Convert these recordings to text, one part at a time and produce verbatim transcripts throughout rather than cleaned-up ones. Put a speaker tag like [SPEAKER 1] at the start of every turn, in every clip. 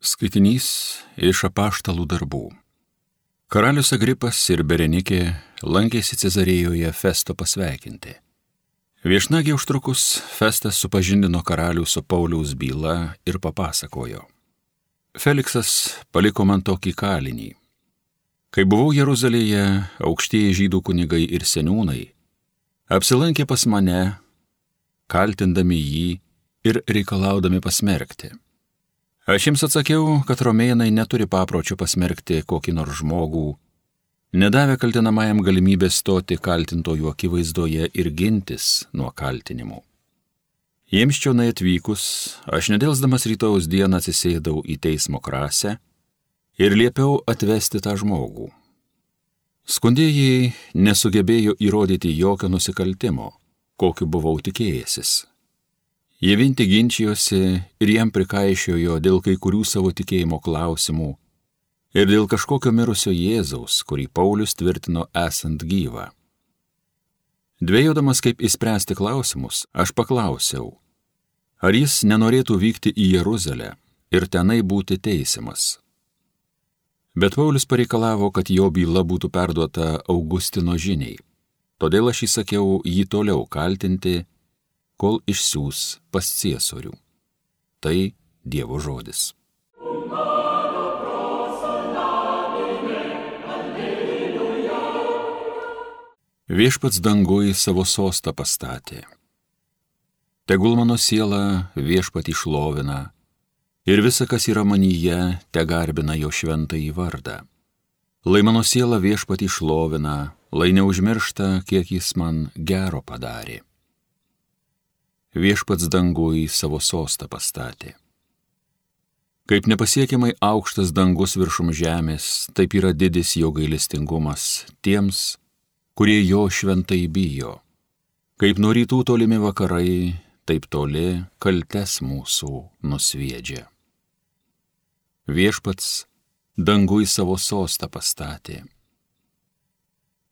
[SPEAKER 1] Skaitinys iš apaštalų darbų. Karalius Agripas ir Berenikė lankėsi Cezarėjoje Festo pasveikinti. Viešnagei užtrukus Festas supažindino karalių su Pauliaus byla ir papasakojo. Feliksas paliko man tokį kalinį. Kai buvau Jeruzalėje, aukštieji žydų kunigai ir seniūnai apsilankė pas mane, kaltindami jį ir reikalaudami pasmerkti. Aš jiems atsakiau, kad romėnai neturi papročio pasmerkti kokį nors žmogų, nedavę kaltinamajam galimybę stoti kaltintojų akivaizdoje ir gintis nuo kaltinimų. Jiems čionai atvykus, aš nedelsdamas rytojaus dieną atsisėdau į teismo krasę ir liepiau atvesti tą žmogų. Skundėjai nesugebėjo įrodyti jokio nusikaltimo, kokiu buvau tikėjęsis. Jie vien tik ginčijosi ir jam prikaišiojo dėl kai kurių savo tikėjimo klausimų ir dėl kažkokio mirusio Jėzaus, kurį Paulius tvirtino esant gyvą. Dvejodamas kaip įspręsti klausimus, aš paklausiau, ar jis nenorėtų vykti į Jeruzalę ir tenai būti teisiamas. Bet Paulius pareikalavo, kad jo byla būtų perduota Augustino žiniai, todėl aš įsakiau jį toliau kaltinti, kol išsiųs pas ciesorių. Tai Dievo žodis. Viešpats danguj savo sostą pastatė. Tegul mano siela viešpatį šlovina ir visa, kas yra manyje, te garbina jo šventąjį vardą. Lai mano siela viešpatį šlovina, lai neužmiršta, kiek jis man gero padarė. Viešpats danguj savo sostą pastatė. Kaip nepasiekiamai aukštas dangus viršum žemės, taip yra didis jo gailestingumas tiems, kurie jo šventai bijo. Kaip nuo rytų tolimi vakarai, taip toli kaltes mūsų nusviedžia. Viešpats danguj savo sostą pastatė.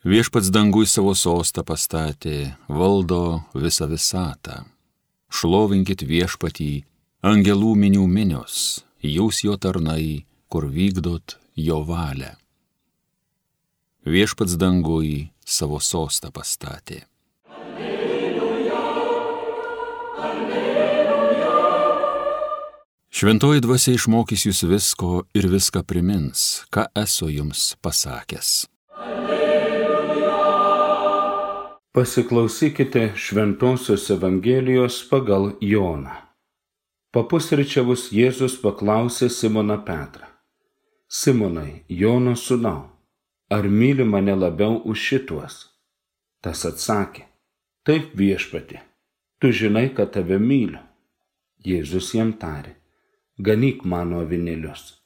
[SPEAKER 1] Viešpats danguj savo sostą pastatė, valdo visą visatą. Šlovinkit viešpatį, angelų minių minios, jūs jo tarnai, kur vykdot jo valią. Viešpats danguj savo sostą pastatė. Alleluja, alleluja. Šventoji dvasia išmokys jūs visko ir viską primins, ką esu jums pasakęs.
[SPEAKER 2] Pasiklausykite Šventosios Evangelijos pagal Joną. Papusryčiavus Jėzus paklausė Simoną Petrą. Simonai, Jono sūnau, ar myli mane labiau už šituos? Tas atsakė, taip viešpatie, tu žinai, kad tave myliu. Jėzus jam tarė, ganyk mano avinėlius.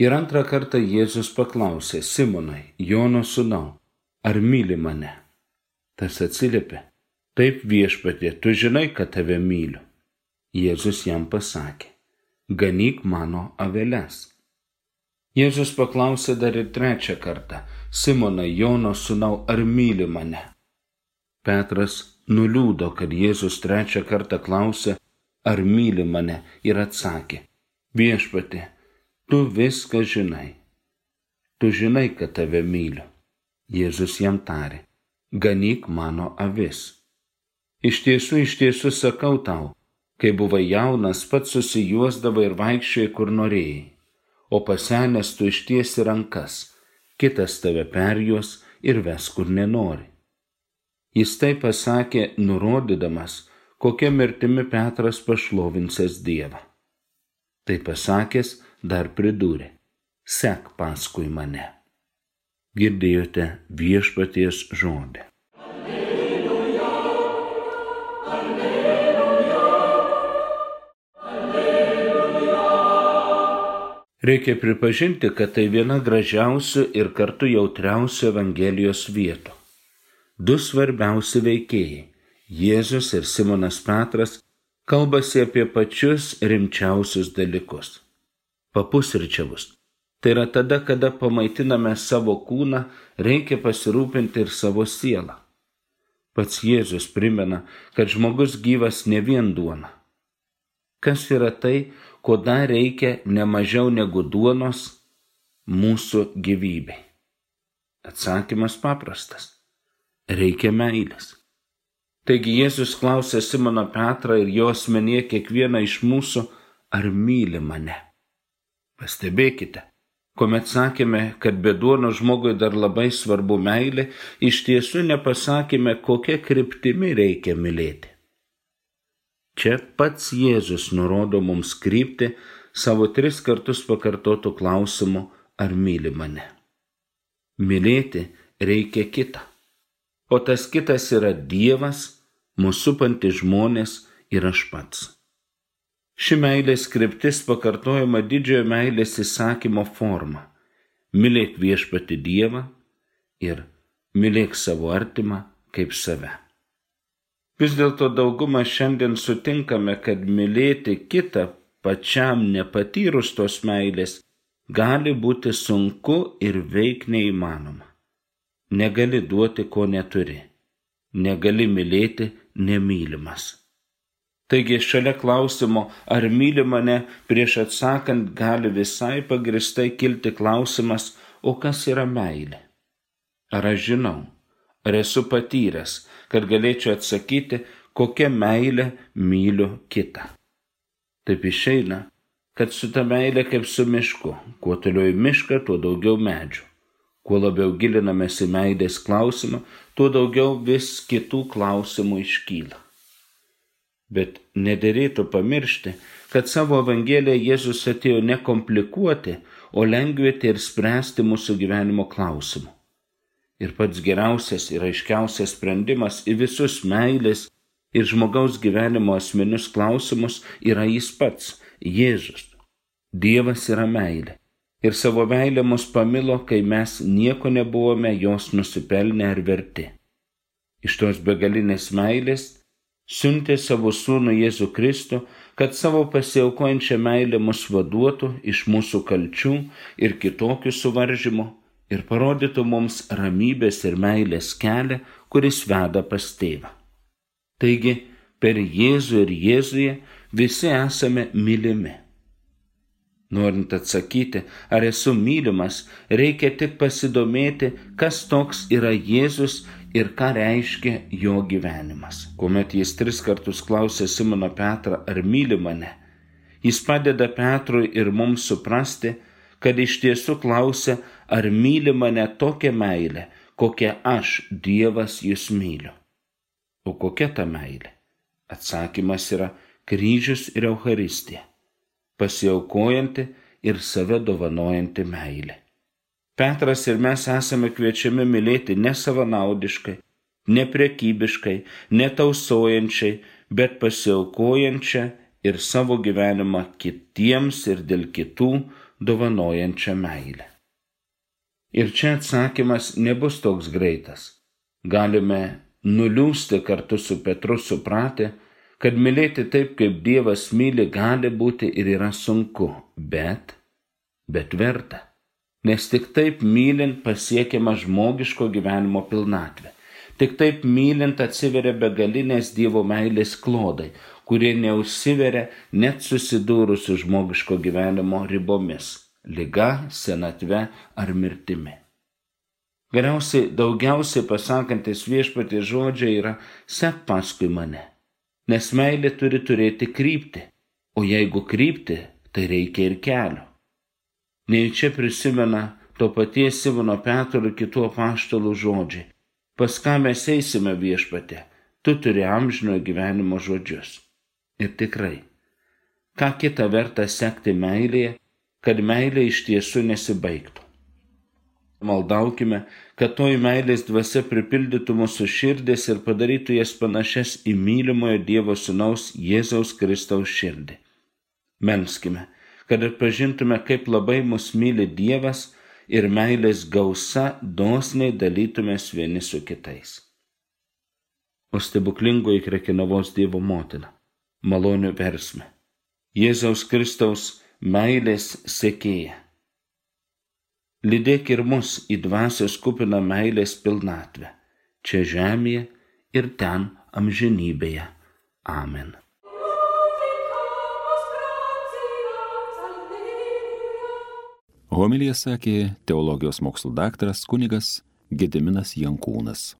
[SPEAKER 2] Ir antrą kartą Jėzus paklausė, Simonai, Jono sūnau, ar myli mane? Tas atsiliepė, taip viešpatie, tu žinai, kad tave myliu. Jėzus jam pasakė, ganyk mano aveles. Jėzus paklausė dar ir trečią kartą, Simonai, Jono sūnau, ar myli mane? Petras nuliūdo, kad Jėzus trečią kartą klausė, ar myli mane, ir atsakė, viešpatie, tu viską žinai. Tu žinai, kad tave myliu. Jėzus jam tarė, ganyk mano avis. Iš tiesų, iš tiesų sakau tau, kai buvai jaunas, pats susijuosdavai ir vaikščiojai, kur norėjai, o pasenęs tu ištiesi rankas, kitas tave perjuos ir ves, kur nenori. Jis tai pasakė, nurodydamas, kokia mirtimi Petras pašlovinsės Dievą. Tai pasakęs, dar pridūrė, sek paskui mane. Girdėjote viešpaties žodį. Alleluja, alleluja, alleluja. Reikia pripažinti, kad tai viena gražiausių ir kartu jautriausių Evangelijos vietų. Du svarbiausi veikėjai, Jėzus ir Simonas Petras, kalbasi apie pačius rimčiausius dalykus. Papusryčiavus. Tai yra tada, kada pamaitiname savo kūną, reikia pasirūpinti ir savo sielą. Pats Jėzus primena, kad žmogus gyvas ne vien duona. Kas yra tai, ko dar reikia nemažiau negu duonos mūsų gyvybei? Atsakymas paprastas. Reikia meilės. Taigi Jėzus klausė Simoną Petrą ir jo asmenyje kiekvieną iš mūsų, ar myli mane. Pastebėkite, kuomet sakėme, kad be duonos žmogui dar labai svarbu meilė, iš tiesų nepasakėme, kokia kryptimi reikia mylėti. Čia pats Jėzus nurodo mums kryptį savo tris kartus pakartotų klausimų, ar myli mane. Mylėti reikia kitą. O tas kitas yra Dievas, mūsų supantis žmonės ir aš pats. Ši meilės kryptis pakartojama didžiojo meilės įsakymo forma. Mylėk viešpatį Dievą ir mylėk savo artimą kaip save. Vis dėlto daugumą šiandien sutinkame, kad mylėti kitą pačiam nepatyrus tos meilės gali būti sunku ir veik neįmanoma. Negali duoti, ko neturi. Negali mylėti nemylimas. Taigi šalia klausimo, ar myli mane, prieš atsakant gali visai pagristai kilti klausimas, o kas yra meilė? Ar aš žinau, ar esu patyręs, kad galėčiau atsakyti, kokia meilė myliu kitą? Taip išeina, kad su ta meilė kaip su mišku, kuo toliau į mišką, tuo daugiau medžių. Kuo labiau gilinamės į meilės klausimą, tuo daugiau vis kitų klausimų iškyla. Bet nederėtų pamiršti, kad savo Evangeliją Jėzus atėjo ne komplikuoti, o lengvinti ir spręsti mūsų gyvenimo klausimų. Ir pats geriausias ir aiškiausias sprendimas į visus meilės ir žmogaus gyvenimo asmenius klausimus yra jis pats, Jėzus. Dievas yra meilė. Ir savo meilę mus pamilo, kai mes nieko nebuvome jos nusipelnę ar verti. Iš tos begalinės meilės siuntė savo sūnų Jėzų Kristų, kad savo pasiaukojančią meilę mus vaduotų iš mūsų kalčių ir kitokių suvaržymų ir parodytų mums ramybės ir meilės kelią, kuris veda pas tėvą. Taigi, per Jėzų ir Jėzuje visi esame mylimi. Norint atsakyti, ar esu mylimas, reikia tik pasidomėti, kas toks yra Jėzus ir ką reiškia jo gyvenimas. Kuomet jis tris kartus klausė Simoną Petrą, ar myli mane, jis padeda Petrui ir mums suprasti, kad iš tiesų klausia, ar myli mane tokia meilė, kokia aš, Dievas, jūs myliu. O kokia ta meilė? Atsakymas yra kryžius ir Eucharistija. Pasiaukojanti ir save dovanojanti meilė. Petras ir mes esame kviečiami mylėti ne savanaudiškai, ne prekybiškai, ne tausojančiai, bet pasiaukojančią ir savo gyvenimą kitiems ir dėl kitų dovanojančią meilę. Ir čia atsakymas nebus toks greitas. Galime nuliūsti kartu su Petru supratę, kad mylėti taip, kaip Dievas myli, gali būti ir yra sunku, bet, bet verta. Nes tik taip mylint pasiekiama žmogiško gyvenimo pilnatvė. Tik taip mylint atsiveria begalinės Dievo meilės klodai, kurie neužsiveria net susidūrus su žmogiško gyvenimo ribomis, liga, senatve ar mirtimi. Galiausiai daugiausiai pasakantis Viešpaties žodžiai yra sek paskui mane. Nes meilė turi turėti kryptį, o jeigu kryptį, tai reikia ir kelio. Nejučia prisimena to paties Simono Petro ir kitų apaštalų žodžiai. Pas ką mes eisime, Viešpatie, tu turi amžinojo gyvenimo žodžius. Ir tikrai, ką kita verta sekti meilėje, kad meilė iš tiesų nesibaigtų. Maldaukime, kad toji meilės dvasia pripildytų mūsų širdis ir padarytų jas panašias į mylimojo Dievo sūnaus Jėzaus Kristaus širdį. Melskime, kad atpažintume, kaip labai mus myli Dievas ir meilės gausa dosniai dalytumės vieni su kitais. O stebuklingoji Krekenavos Dievo motina, malonių versmė, Jėzaus Kristaus meilės sekėja. Lydėk ir mus į dvasios kupiną meilės pilnatvę, čia žemėje ir ten amžinybėje. Amen.
[SPEAKER 1] Homiliją sakė teologijos mokslų daktaras kunigas Gediminas Jankūnas.